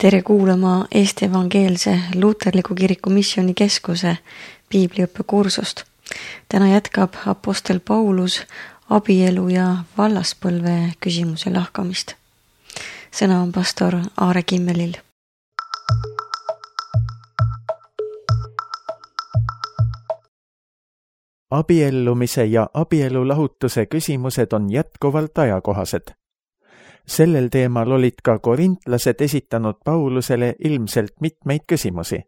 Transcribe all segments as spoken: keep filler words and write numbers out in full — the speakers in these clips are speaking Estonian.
Tere kuulama Eesti Evangeelse Luuterliku Kiriku Missioonikeskuse piibliõppekursust. Täna jätkab apostel Paulus abielu ja vallaspõlve küsimuse lahkamist. Sõna on pastor Aare Kimmelil. Abiellumise ja abielulahutuse küsimused on jätkuvalt ajakohased. Sellel teemal olid ka korintlased esitanud Paulusele ilmselt mitmeid küsimusi.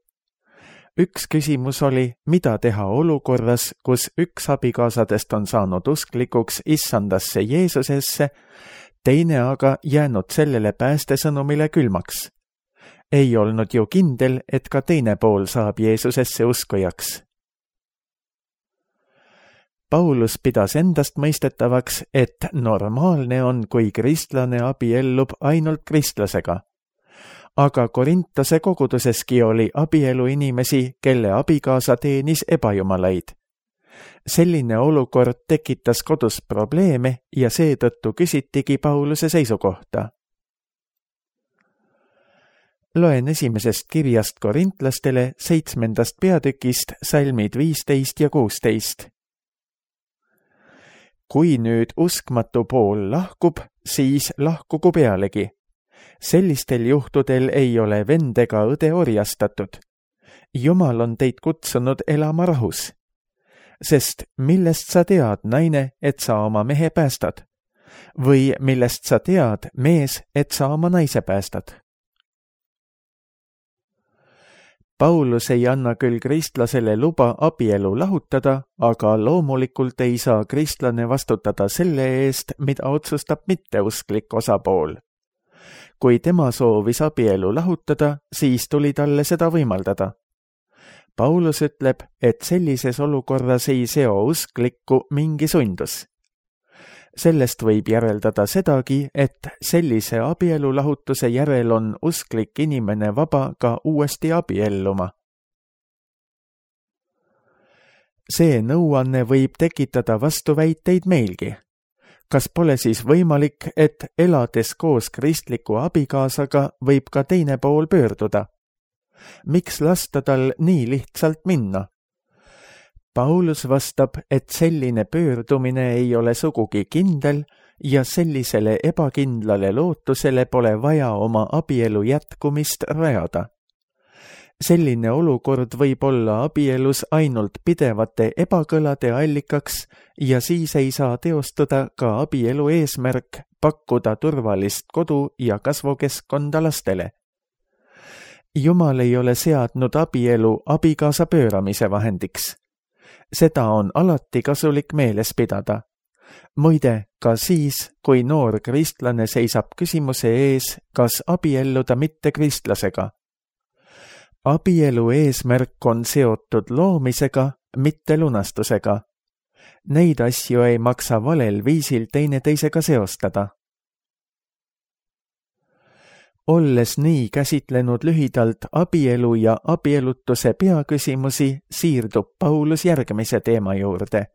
Üks küsimus oli, mida teha olukorras, kus üks abikaasadest on saanud usklikuks issandasse Jeesusesse, teine aga jäänud sellele päästesõnumile külmaks. Ei olnud ju kindel, et ka teine pool saab Jeesusesse uskujaks. Paulus pidas endast mõistetavaks, et normaalne on, kui kristlane abiellub ainult kristlasega. Aga Korintose koguduseski oli abielu inimesi, kelle abikaasa teenis ebajumalaid. Selline olukord tekitas kodus probleeme ja seetõttu küsitigi Pauluse seisukohta. Loen esimesest kirjast korintlastele seitsmendast peatükist salmid viisteist ja kuusteist. Kui nüüd uskmatu pool lahkub, siis lahkugu pealegi. Sellistel juhtudel ei ole vend ega õde orjastatud. Jumal on teid kutsunud elama rahus. Sest millest sa tead, naine, et sa oma mehe päästad? Või millest sa tead, mees, et sa oma naise päästad? Paulus ei anna küll kristlasele luba abielu lahutada, aga loomulikult ei saa kristlane vastutada selle eest, mida otsustab mitteusklik osapool. Kui tema soovis abielu lahutada, siis tuli talle seda võimaldada. Paulus ütleb, et sellises olukorras ei seo usklikku mingi sundus. Sellest võib järeldada sedagi, et sellise abielulahutuse järel on usklik inimene vaba ka uuesti abielluma. See nõuanne võib tekitada vastuväiteid meilgi. Kas pole siis võimalik, et elades koos kristliku abikaasaga võib ka teine pool pöörduda? Miks lasta tal nii lihtsalt minna? Paulus vastab, et selline pöördumine ei ole sugugi kindel ja sellisele ebakindlale lootusele pole vaja oma abielu jätkumist rajada. Selline olukord võib olla abielus ainult pidevate ebakõlade allikaks ja siis ei saa teostuda ka abielu eesmärk pakkuda turvalist kodu ja kasvukeskkonda lastele. Jumal ei ole seadnud abielu abikaasa pööramise vahendiks. Seda on alati kasulik meeles pidada. Muide, ka siis, kui noor kristlane seisab küsimuse ees, kas abielluda mitte kristlasega. Abielu eesmärk on seotud loomisega, mitte lunastusega. Neid asju ei maksa valel viisil teineteisega seostada. Olles nii käsitlenud lühidalt abielu ja abielutuse peaküsimusi, siirdub Paulus järgmise teema juurde.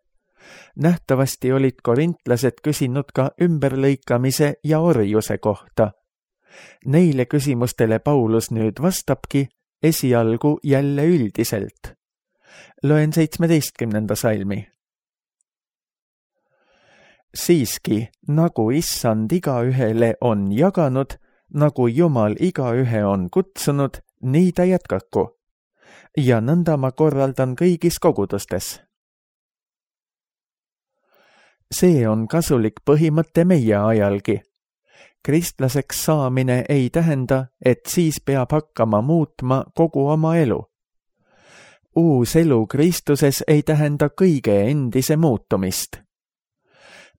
Nähtavasti olid korintlased küsinud ka ümberlõikamise ja orjuse kohta. Neile küsimustele Paulus nüüd vastabki esialgu jälle üldiselt. Loen seitsmeteistkümnenda salmi. Siiski, nagu issand igaühele on jaganud, nagu Jumal igaühe on kutsunud, nii ta jätkaku. Ja nõnda ma korraldan kõigis kogudustes. See on kasulik põhimõte meie ajalgi. Kristlaseks saamine ei tähenda, et siis peab hakkama muutma kogu oma elu. Uus elu Kristuses ei tähenda kõige endise muutumist.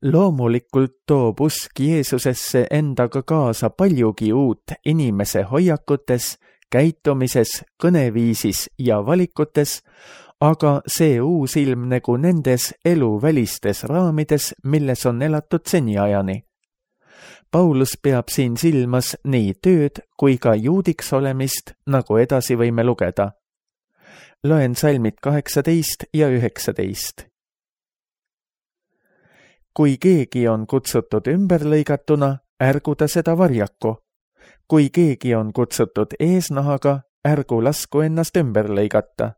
Loomulikult toob usk Jeesusesse endaga kaasa paljugi uut inimese hoiakutes, käitumises, kõneviisis ja valikutes, aga see uus ilmnegu nendes eluvälistes raamides, milles on elatud seniajani. Paulus peab siin silmas nii tööd kui ka juudiks olemist, nagu edasi võime lugeda. Loen salmid kaheksateist ja üheksateist. Kui keegi on kutsutud ümberlõigatuna, ärgu ta seda varjaku. kui keegi on kutsutud eesnahaga, ärgu lasku ennast ümber lõigata.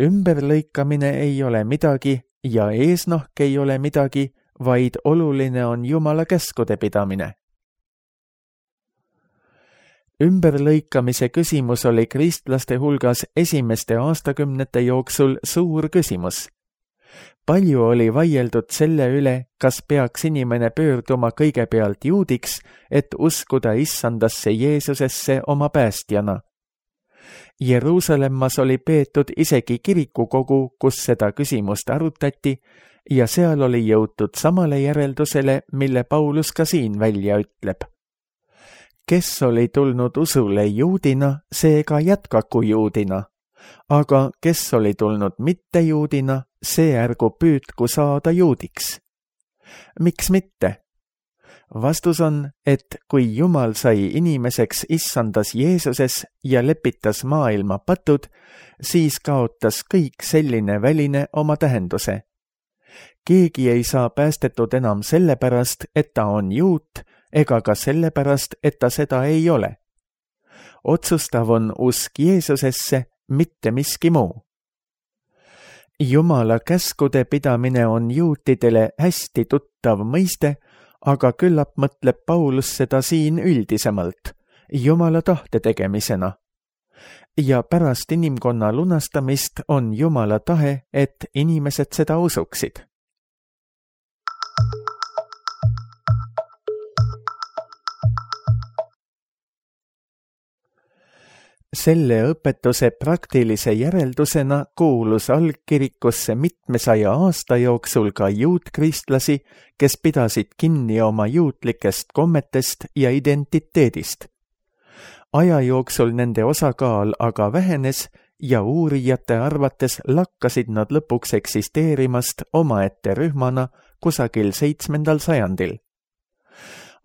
Ümberlõikamine ei ole midagi ja eesnahk ei ole midagi, vaid oluline on Jumala käskude pidamine. Ümberlõikamise küsimus oli kristlaste hulgas esimeste aastakümnete jooksul suur küsimus. Palju oli vaieldud selle üle, kas peaks inimene pöörduma kõigepealt juudiks, et uskuda issandasse Jeesusesse oma päästjana. Jeruusalemmas oli peetud isegi kirikukogu, kus seda küsimust arutati, ja seal oli jõutud samale järeldusele, mille Paulus ka siin välja ütleb. Kes oli tulnud usule juudina, see ka jätkaku juudina, aga kes oli tulnud mitte juudina, see ärgu püüdku saada juudiks. Miks mitte? Vastus on, et kui Jumal sai inimeseks issandas Jeesuses ja lepitas maailma patud, siis kaotas kõik selline väline oma tähenduse. Keegi ei saa päästetud enam sellepärast, et ta on juut, ega ka sellepärast, et ta seda ei ole. Otsustav on usk Jeesusesse, mitte miski muu. Jumala käskude pidamine on juutidele hästi tuttav mõiste, aga küllap mõtleb Paulus seda siin üldisemalt, Jumala tahte tegemisena. Ja pärast inimkonna lunastamist on Jumala tahe, et inimesed seda usuksid. Selle õpetuse praktilise järeldusena kuulus algkirikusse mitmesaja aasta jooksul ka juutkristlasi, kes pidasid kinni oma juutlikest kommetest ja identiteedist. Aja jooksul nende osakaal aga vähenes ja uurijate arvates lakkasid nad lõpuks eksisteerimast omaette rühmana kusagil seitsmendal sajandil.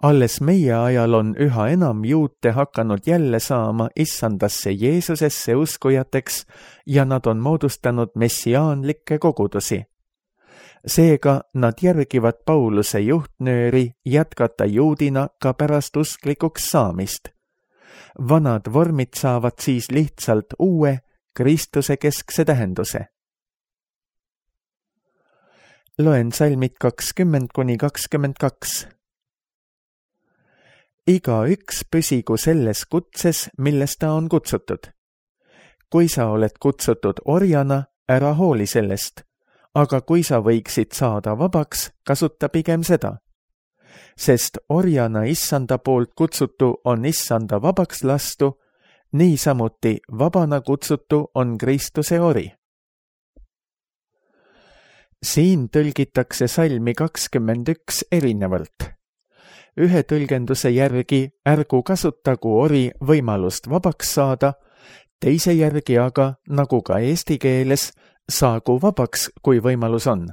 Alles meie ajal on üha enam juute hakanud jälle saama issandasse Jeesusesse uskujateks ja nad on moodustanud messiaanlikke kogudusi. Seega nad järgivad Pauluse juhtnööri jätkata juudina ka pärast usklikuks saamist. Vanad vormid saavad siis lihtsalt uue, Kristuse keskse tähenduse. Loen salmid kakskümmend kuni kakskümmend kaks. Iga üks püsigu selles kutses, milles ta on kutsutud. Kui sa oled kutsutud orjana, ära hooli sellest, aga kui sa võiksid saada vabaks, kasuta pigem seda. Sest orjana issanda poolt kutsutu on issanda vabaks lastu, niisamuti vabana kutsutu on Kristuse ori. Siin tõlgitakse salmi kakskümmend üks erinevalt. Ühe tõlgenduse järgi ärgu kasutagu ori võimalust vabaks saada, teise järgi aga, nagu ka eesti keeles, saagu vabaks, kui võimalus on.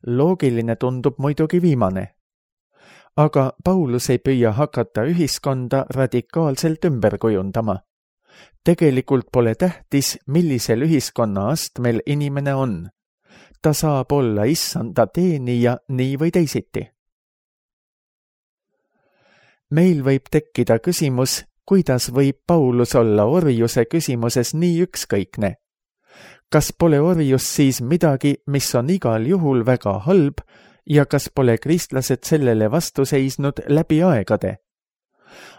Loogiline tundub muidugi viimane. Aga Paulus ei püüa hakata ühiskonda radikaalselt ümber kujundama. Tegelikult pole tähtis, millisel ühiskonna astmel inimene on. Ta saab olla issanda teenija nii või teisiti. Meil võib tekkida küsimus, kuidas võib Paulus olla orjuse küsimuses nii ükskõikne. Kas pole orjus siis midagi, mis on igal juhul väga halb ja kas pole kristlased sellele vastu seisnud läbi aegade?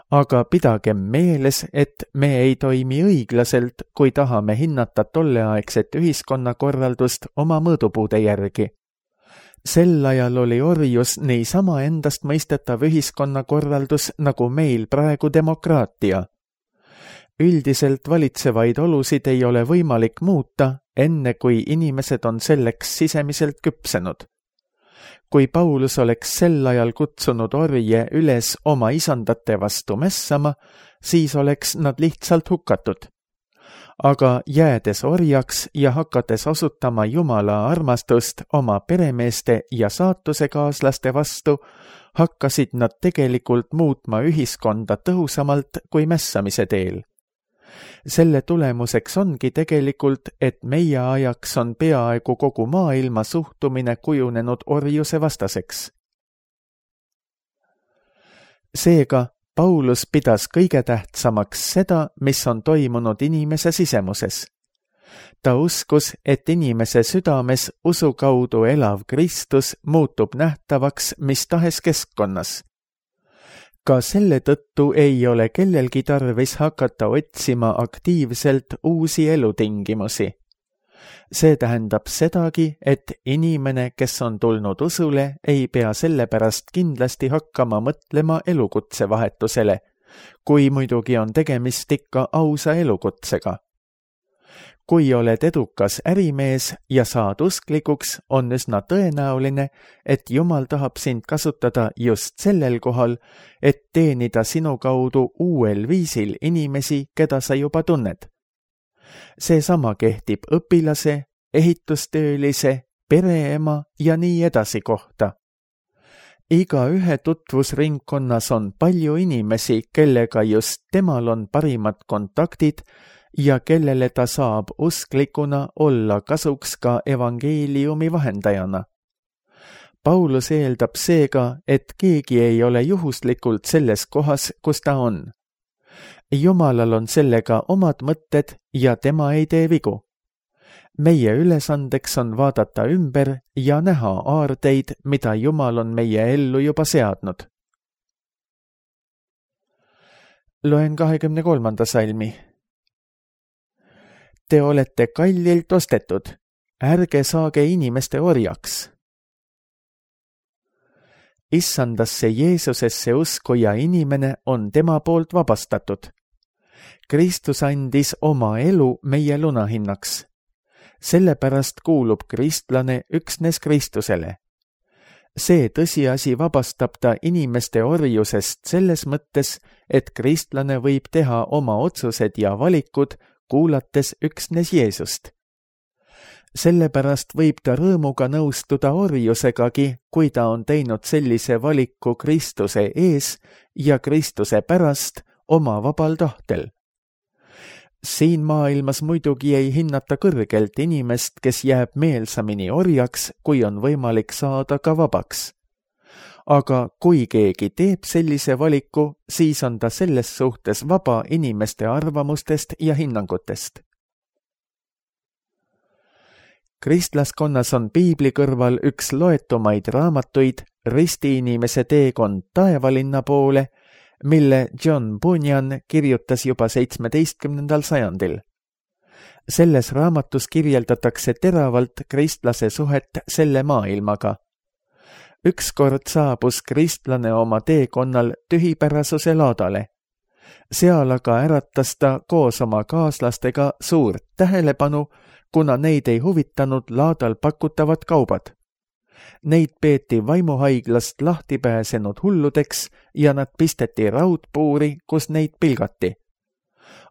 Aga pidagem meeles, et me ei toimi õiglaselt, kui tahame hinnata tolleaegset ühiskonnakorraldust oma mõõdupuude järgi. Sel ajal oli orjus niisama endast mõistetav ühiskonnakorraldus nagu meil praegu demokraatia. Üldiselt valitsevaid olusid ei ole võimalik muuta, enne kui inimesed on selleks sisemiselt küpsenud. Kui Paulus oleks sel ajal kutsunud orje üles oma isandate vastu mässama, siis oleks nad lihtsalt hukatud. Aga jäädes orjaks ja hakates osutama Jumala armastust oma peremeeste ja saatusekaaslaste vastu, hakkasid nad tegelikult muutma ühiskonda tõhusamalt kui mässamise teel. Selle tulemuseks ongi tegelikult, et meie ajaks on peaaegu kogu maailma suhtumine kujunenud orjuse vastaseks. Seega, Paulus pidas kõige tähtsamaks seda, mis on toimunud inimese sisemuses. Ta uskus, et inimese südames usu kaudu elav Kristus muutub nähtavaks mis tahes keskkonnas. Ka selle tõttu ei ole kellelgi tarvis hakata otsima aktiivselt uusi elutingimusi. See tähendab sedagi, et inimene, kes on tulnud usule, ei pea sellepärast kindlasti hakkama mõtlema elukutsevahetusele, kui muidugi on tegemist ikka ausa elukutsega. Kui oled edukas ärimees ja saad usklikuks, on üsna tõenäoline, et Jumal tahab sind kasutada just sellel kohal, et teenida sinu kaudu uuel viisil inimesi, keda sa juba tunned. Seesama kehtib õpilase, ehitustöölise, pereema ja nii edasi kohta. Iga ühe tutvusringkonnas on palju inimesi, kellega just temal on parimad kontaktid ja kellele ta saab usklikuna olla kasuks ka evangeeliumi vahendajana. Paulus eeldab seega, et keegi ei ole juhuslikult selles kohas, kus ta on. Jumalal on sellega omad mõtted ja tema ei tee vigu. Meie ülesandeks on vaadata ümber ja näha aardeid, mida Jumal on meie ellu juba seadnud. Loen kahekümne kolmanda salmi. Te olete kallilt ostetud, ärge saage inimeste orjaks. Issandasse Jeesusesse uskuja inimene on tema poolt vabastatud. Kristus andis oma elu meie lunahinnaks. Sellepärast kuulub kristlane üksnes Kristusele. See tõsiasi vabastab ta inimeste orjusest selles mõttes, et kristlane võib teha oma otsused ja valikud, kuulates üksnes Jeesust. Sellepärast võib ta rõõmuga nõustuda orjusegagi, kui ta on teinud sellise valiku Kristuse ees ja Kristuse pärast oma vabal tahtel. Siin maailmas muidugi ei hinnata kõrgelt inimest, kes jääb meelsamini orjaks, kui on võimalik saada ka vabaks. Aga kui keegi teeb sellise valiku, siis on ta selles suhtes vaba inimeste arvamustest ja hinnangutest. Kristlaskonnas on piibli kõrval üks loetumaid raamatuid Ristiinimese teekond taevalinna poole, mille John Bunyan kirjutas juba seitsmeteistkümnendal sajandil. Selles raamatus kirjeldatakse teravalt kristlase suhet selle maailmaga. Ükskord saabus kristlane oma teekonnal tühipärasuse laadale. Seal aga äratas ta koos oma kaaslastega suurt tähelepanu, kuna neid ei huvitanud laadal pakutavad kaubad. Neid peeti vaimuhaiglast lahti pääsenud hulludeks ja nad pisteti raudpuuri, kus neid pilgati.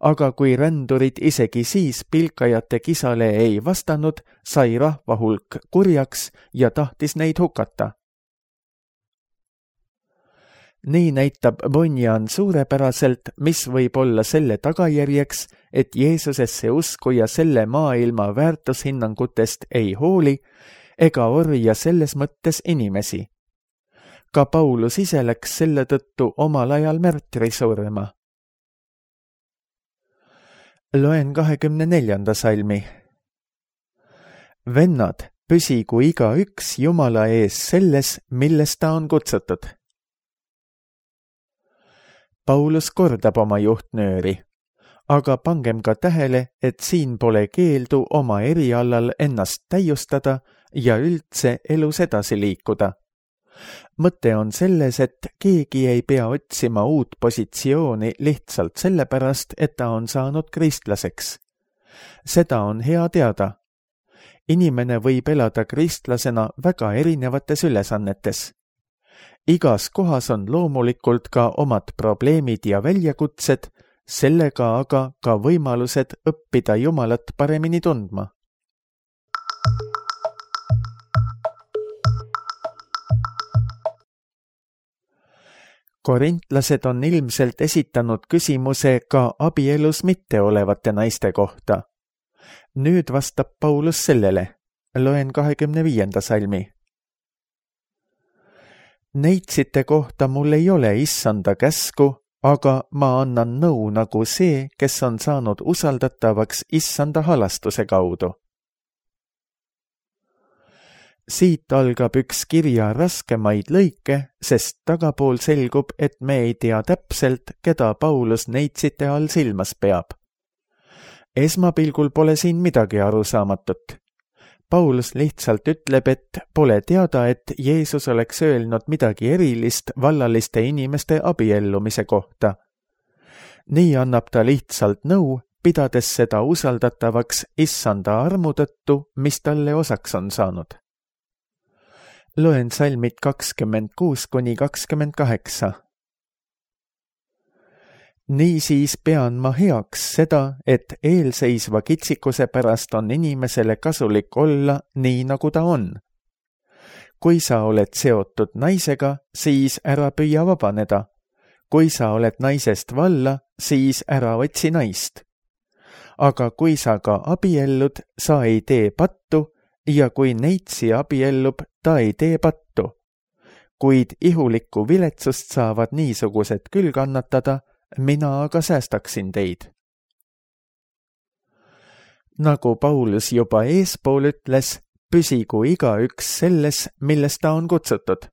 Aga kui rändurid isegi siis pilkajate kisale ei vastanud, sai rahvahulk kurjaks ja tahtis neid hukata. Nii näitab Bunyan suurepäraselt, mis võib olla selle tagajärjeks, et Jeesusesse uskuja selle maailma väärtushinnangutest ei hooli ega orja selles mõttes inimesi. Ka Paulus ise läks selle tõttu omal ajal märtri surma. Loen kahekümne neljanda salmi. Vennad, püsigu igaüks Jumala ees selles, milles ta on kutsutud. Paulus kordab oma juhtnööri, aga pangem ka tähele, et siin pole keeldu oma erialal ennast täiustada ja üldse elus edasi liikuda. Mõte on selles, et keegi ei pea otsima uut positsiooni lihtsalt sellepärast, et ta on saanud kristlaseks. Seda on hea teada. Inimene võib elada kristlasena väga erinevates ülesannetes. Igas kohas on loomulikult ka omad probleemid ja väljakutsed, sellega aga ka võimalused õppida Jumalat paremini tundma. Korintlased on ilmselt esitanud küsimuse ka abielus mitte olevate naiste kohta. Nüüd vastab Paulus sellele. Loen kahekümne viienda salmi. Neitsite kohta mul ei ole issanda käsku, aga ma annan nõu nagu see, kes on saanud usaldatavaks issanda halastuse kaudu. Siit algab üks kirja raskemaid lõike, sest tagapool selgub, et me ei tea täpselt, keda Paulus neitsite all silmas peab. Esmapilgul pole siin midagi arusaamatut. Paulus lihtsalt ütleb, et pole teada, et Jeesus oleks öelnud midagi erilist vallaliste inimeste abiellumise kohta. Nii annab ta lihtsalt nõu, pidades seda usaldatavaks issanda armu tõttu, mis talle osaks on saanud. Loen salmid kakskümmend kuus kuni kakskümmend kaheksa. Niisiis pean ma heaks seda, et eelseisva kitsikuse pärast on inimesele kasulik olla nii, nagu ta on. Kui sa oled seotud naisega, siis ära püüa vabaneda. Kui sa oled naisest valla, siis ära otsi naist. Aga kui sa ka abiellud, sa ei tee pattu, ja kui neitsi abiellub, ta ei tee pattu. Kuid ihulikku viletsust saavad niisugused küll kannatada, mina aga säästaksin teid. Nagu Paulus juba eespool ütles, püsigu igaüks selles, milles ta on kutsutud.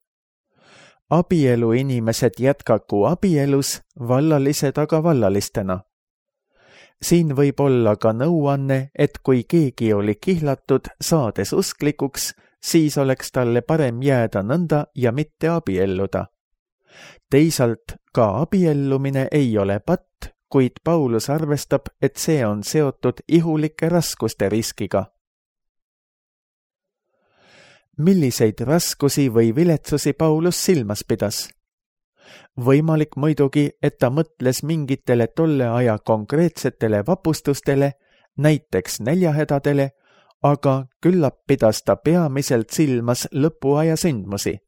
Abielu inimesed jätkaku abielus, vallalised aga vallalistena. Siin võib olla ka nõuanne, et kui keegi oli kihlatud, saades usklikuks, siis oleks talle parem jääda nõnda ja mitte abielluda. Teisalt ka abiellumine ei ole patt, kuid Paulus arvestab, et see on seotud ihulike raskuste riskiga. Milliseid raskusi või viletsusi Paulus silmas pidas? Võimalik muidugi, et ta mõtles mingitele tolle aja konkreetsetele vapustustele, näiteks näljahädadele, aga küllap pidas ta peamiselt silmas lõpuaja sündmusi.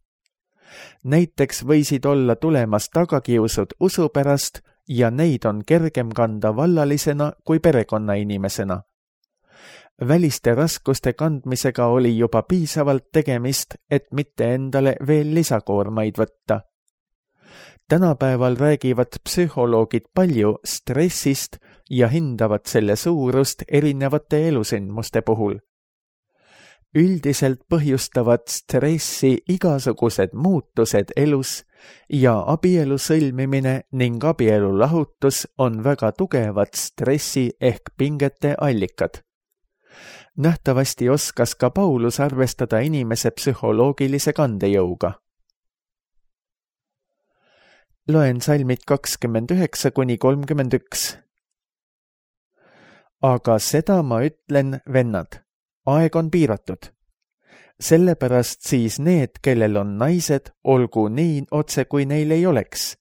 Näiteks võisid olla tulemas tagakiusud usu pärast ja neid on kergem kanda vallalisena kui perekonnainimesena. Väliste raskuste kandmisega oli juba piisavalt tegemist, et mitte endale veel lisakoormaid võtta. Tänapäeval räägivad psühholoogid palju stressist ja hindavad selle suurust erinevate elusündmuste puhul. Üldiselt põhjustavad stressi igasugused muutused elus ja abielu sõlmimine ning abielu lahutus on väga tugevad stressi ehk pingete allikad. Nähtavasti oskas ka Paulus arvestada inimese psühholoogilise kandejõuga. Loen salmid kakskümmend üheksa kuni kolmkümmend üks. Aga seda ma ütlen, vennad, aeg on piiratud. Sellepärast siis need, kellel on naised, olgu nii otse, kui neil ei oleks,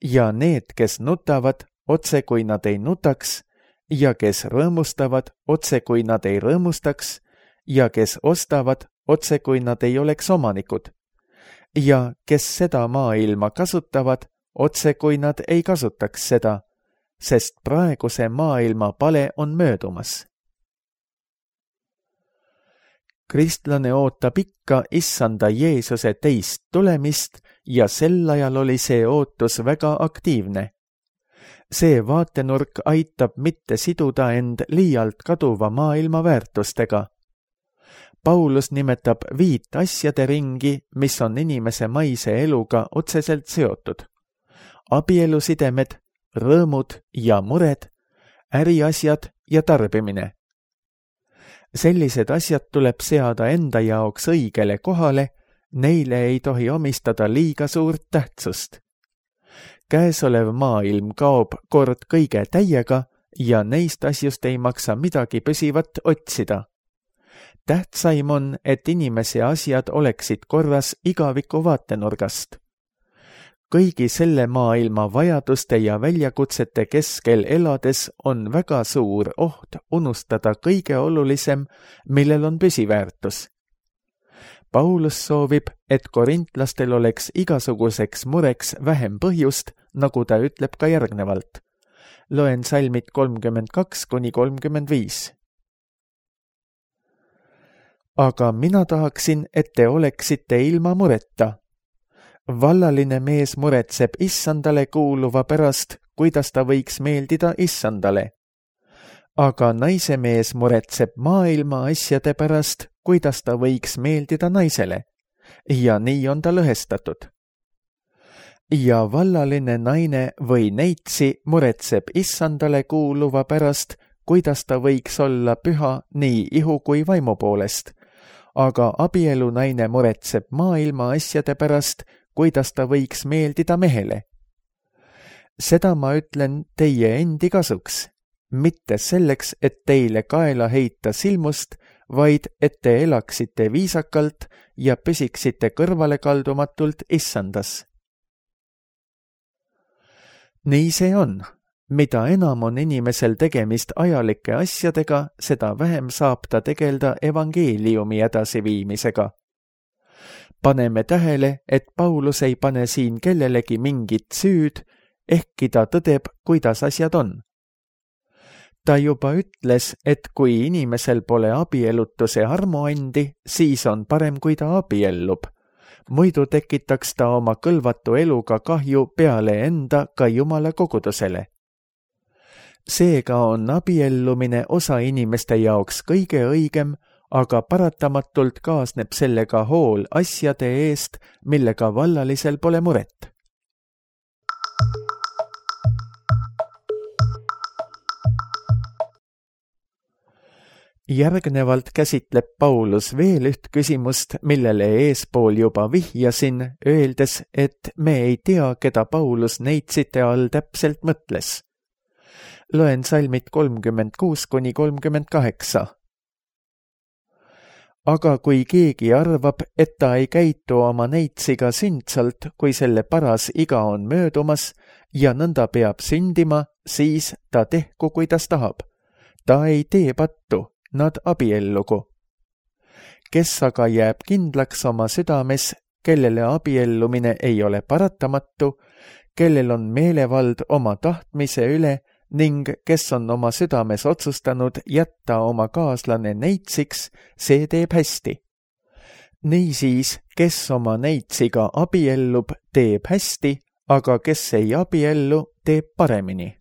ja need, kes nutavad, otse, kui nad ei nutaks, ja kes rõõmustavad, otse, kui nad ei rõõmustaks, ja kes ostavad, otse, kui nad ei oleks omanikud, ja kes seda maailma kasutavad, otse, kui nad ei kasutaks seda, sest praeguse maailma pale on möödumas. Kristlane ootab ikka issanda Jeesuse teist tulemist ja sel ajal oli see ootus väga aktiivne. See vaatenurk aitab mitte siduda end liialt kaduva maailma väärtustega. Paulus nimetab viit asjade ringi, mis on inimese maise eluga otseselt seotud. Abielusidemed, rõõmud ja mured, äriasjad ja tarbimine. Sellised asjad tuleb seada enda jaoks õigele kohale, neile ei tohi omistada liiga suurt tähtsust. Käesolev maailm kaob kord kõige täiega ja neist asjust ei maksa midagi püsivat otsida. Tähtsaim on, et inimese asjad oleksid korras igaviku vaatenurgast. Kõigi selle maailma vajaduste ja väljakutsete keskel elades on väga suur oht unustada kõige olulisem, millel on püsiväärtus. Paulus soovib, et korintlastel oleks igasuguseks mureks vähem põhjust, nagu ta ütleb ka järgnevalt. Loen salmid kolmkümmend kaks kuni kolmkümmend viis. Aga mina tahaksin, et te oleksite ilma mureta. Vallaline mees muretseb issandale kuuluva pärast, kuidas ta võiks meeldida issandale. Aga naise mees muretseb maailma asjade pärast, kuidas ta võiks meeldida naisele. Ja nii on ta lõhestatud. Ja vallaline naine või neitsi muretseb issandale kuuluva pärast, kuidas ta võiks olla püha nii ihu kui vaimu poolest. Aga abielu naine muretseb maailma asjade pärast, kuidas ta võiks meeldida mehele. Seda ma ütlen teie endi kasuks, mitte selleks, et teile kaela heita silmust, vaid et te elaksite viisakalt ja püsiksite kõrvale kaldumatult issandas. Nii see on. Mida enam on inimesel tegemist ajalike asjadega, seda vähem saab ta tegelda evangeeliumi edasiviimisega. Paneme tähele, et Paulus ei pane siin kellelegi mingit süüd, ehkki ta tõdeb, kuidas asjad on. Ta juba ütles, et kui inimesel pole abielutuse armuandi, siis on parem, kui ta abiellub. Muidu tekitaks ta oma kõlvatu eluga kahju peale enda ka Jumala kogudusele. Seega on abiellumine osa inimeste jaoks kõige õigem, aga paratamatult kaasneb sellega hool asjade eest, millega vallalisel pole muret. Järgnevalt käsitleb Paulus veel üht küsimust, millele eespool juba vihjasin, öeldes, et me ei tea, keda Paulus neitsite all täpselt mõtles. Loen salmid kolmkümmend kuus kuni kolmkümmend kaheksa. Aga kui keegi arvab, et ta ei käitu oma neitsiga sündsalt, kui selle paras iga on möödumas ja nõnda peab sündima, siis ta tehku, kuidas tahab. Ta ei tee pattu. Nad abiellugu. Kes aga jääb kindlaks oma südames, kellele abiellumine ei ole paratamatu, kellel on meelevald oma tahtmise üle ning kes on oma südames otsustanud jätta oma kaaslane neitsiks, see teeb hästi. Niisiis, kes oma neitsiga abiellub, teeb hästi, aga kes ei abiellu, teeb paremini.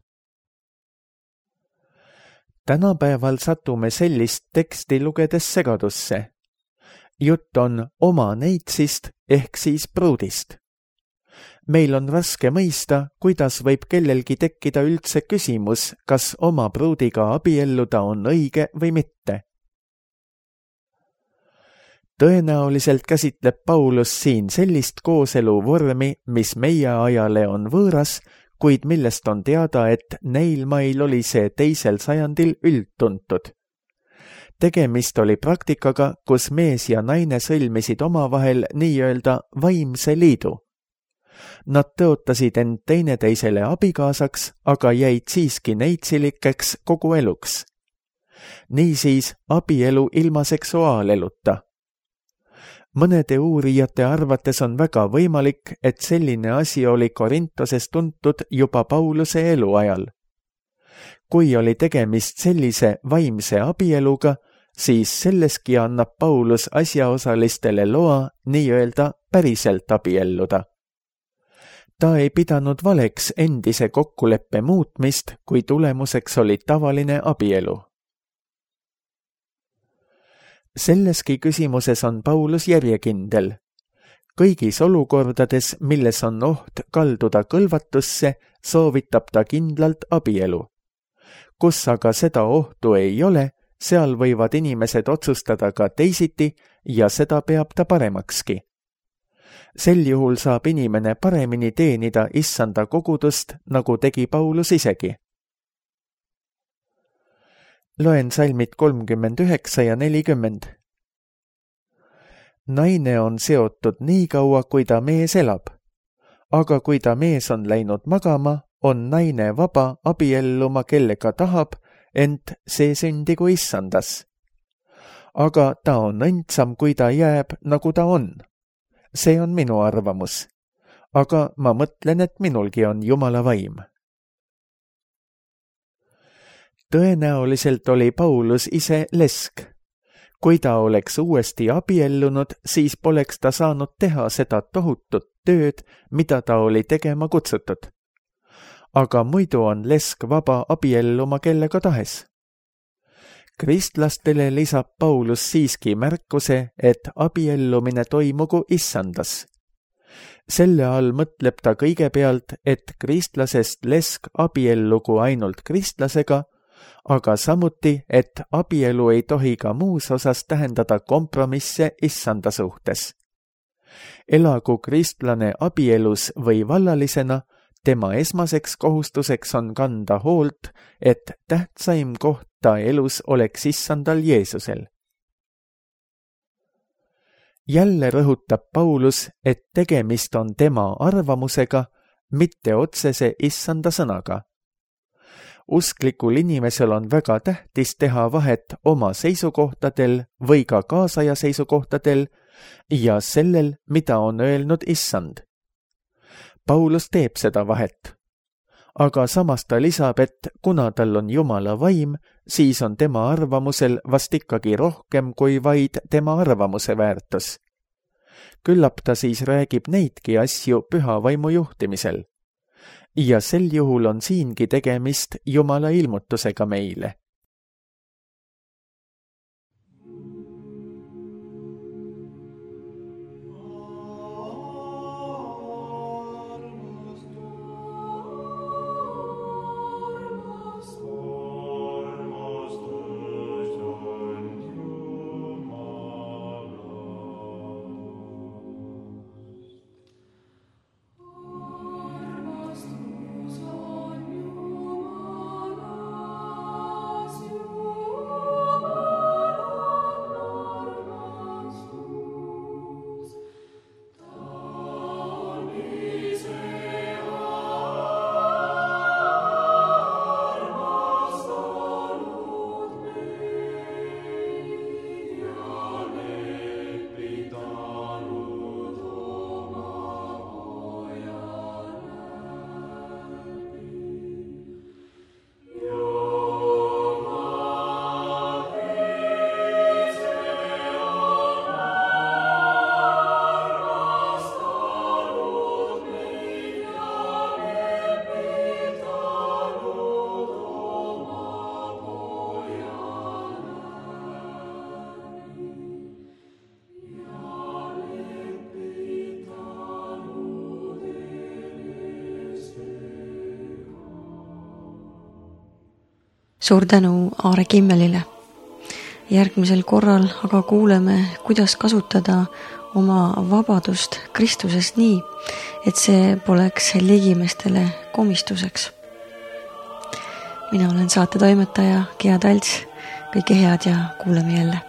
Tänapäeval satume sellist teksti lugedes segadusse. Jutt on oma neitsist ehk siis pruudist. Meil on raske mõista, kuidas võib kellelgi tekkida üldse küsimus, kas oma pruudiga abielluda on õige või mitte. Tõenäoliselt käsitleb Paulus siin sellist kooselu vormi, mis meie ajale on võõras, kuid millest on teada, et neil mail oli see teisel sajandil üldtuntud. Tegemist oli praktikaga, kus mees ja naine sõlmisid omavahel nii-öelda vaimse liidu. Nad tõotasid end teineteisele abikaasaks, aga jäid siiski neitsilikeks kogu eluks. Niisiis abielu ilma seksuaaleluta. Mõnede uurijate arvates on väga võimalik, et selline asi oli Korintoses tuntud juba Pauluse eluajal. Kui oli tegemist sellise vaimse abieluga, siis selleski annab Paulus asjaosalistele loa nii-öelda päriselt abielluda. Ta ei pidanud valeks endise kokkuleppe muutmist, kui tulemuseks oli tavaline abielu. Selleski küsimuses on Paulus järjekindel. Kõigis olukordades, milles on oht kalduda kõlvatusse, soovitab ta kindlalt abielu. Kus aga seda ohtu ei ole, seal võivad inimesed otsustada ka teisiti ja seda peab ta paremakski. Sel juhul saab inimene paremini teenida issanda kogudust, nagu tegi Paulus isegi. Loen salmid kolmkümmend üheksa ja nelikümmend. Naine on seotud nii kaua, kui ta mees elab. Aga kui ta mees on läinud magama, on naine vaba abielluma kellega tahab, ent see sündigu issandas. Aga ta on õndsam, kui ta jääb, nagu ta on. See on minu arvamus. Aga ma mõtlen, et minulgi on Jumala vaim. Tõenäoliselt oli Paulus ise lesk. kui ta oleks uuesti abiellunud, siis poleks ta saanud teha seda tohutut tööd, mida ta oli tegema kutsutud. Aga muidu on lesk vaba abielluma kellega tahes. Kristlastele lisab Paulus siiski märkuse, et abiellumine toimugu issandas. Selle all mõtleb ta kõigepealt, et kristlasest lesk abiellugu ainult kristlasega, aga samuti, et abielu ei tohi ka muus osas tähendada kompromisse issanda suhtes. Elagu kristlane abielus või vallalisena, tema esmaseks kohustuseks on kanda hoolt, et tähtsaim koht ta elus oleks issandal Jeesusel. Jälle rõhutab Paulus, et tegemist on tema arvamusega, mitte otsese issanda sõnaga. Usklikul inimesel on väga tähtis teha vahet oma seisukohtadel või ka kaasaja seisukohtadel ja sellel, mida on öelnud issand. Paulus teeb seda vahet. Aga samas ta lisab, et kuna tal on Jumala vaim, siis on tema arvamusel vast ikkagi rohkem kui vaid tema arvamuse väärtus. Küllap ta siis räägib neidki asju püha vaimu juhtimisel. Ja sel juhul on siingi tegemist Jumala ilmutusega meile. Suur tänu Aare Kimmelile. Järgmisel korral aga kuuleme, kuidas kasutada oma vabadust Kristusest nii, et see poleks ligimestele komistuseks. Mina olen saate toimetaja Gea Talts. Kõike head ja kuuleme jälle.